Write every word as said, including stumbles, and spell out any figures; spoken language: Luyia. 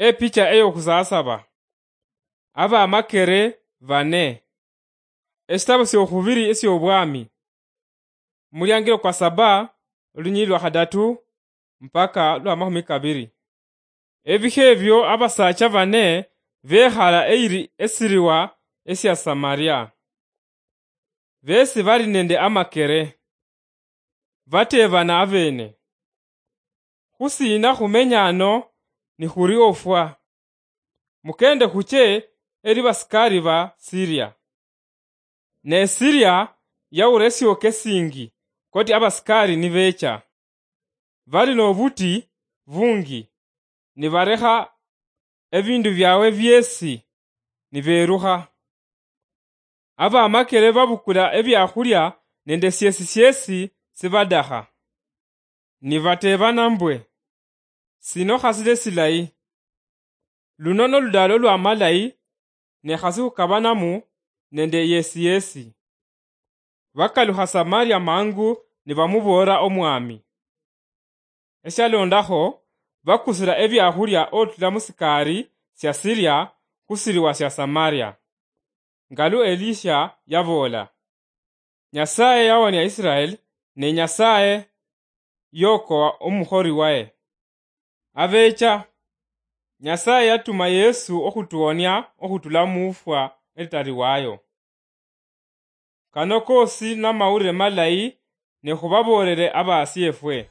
Epicha eyokhusasaba. Abamakere bane. Esitabo syokhubiri esyobwami. Muliangiro kwa saba, olunyili lwa khadatu mpaka lwa makhumi kabiri. Ebikha ebyo abasacha bane bekhala eyiri esiriwa esya Samaria. Besi bali nende amakere. Batebana abene, "Khusina khumenya ano nikhuri ofwa? Mukende khuche eri basikari ba Siria." Ne Siria yaura esioka esingi koti abasikari nibecha. Bali nobuti bungi, nibarekha ebindu byawe byesi, niberukha. Abamakere babukula ebiakhulia nende syesi syesi sibadakha. Nibatebana mbwe, "Sino khasile silayi. Luno noludalo lwamalayi, ne khasi khukabanamu nende yesi yesi." Bakalukha Samaria mangu nibamuboolera omwami. Eshalondakho, bakusira ebiakhulia otula musikari sya Siria khusiriwa sya Samaria. Ngalu Elisha yaboola, "Nyasaye yawonia Israel, ne Nyasaye yokowa omukhori waye." Abecha, Nyasaye yatuma Yesu okhutuwonia okhutula mufwa elitali wayo. Kano kosi namawulire malayi, ne khubaboolere abasiefwe.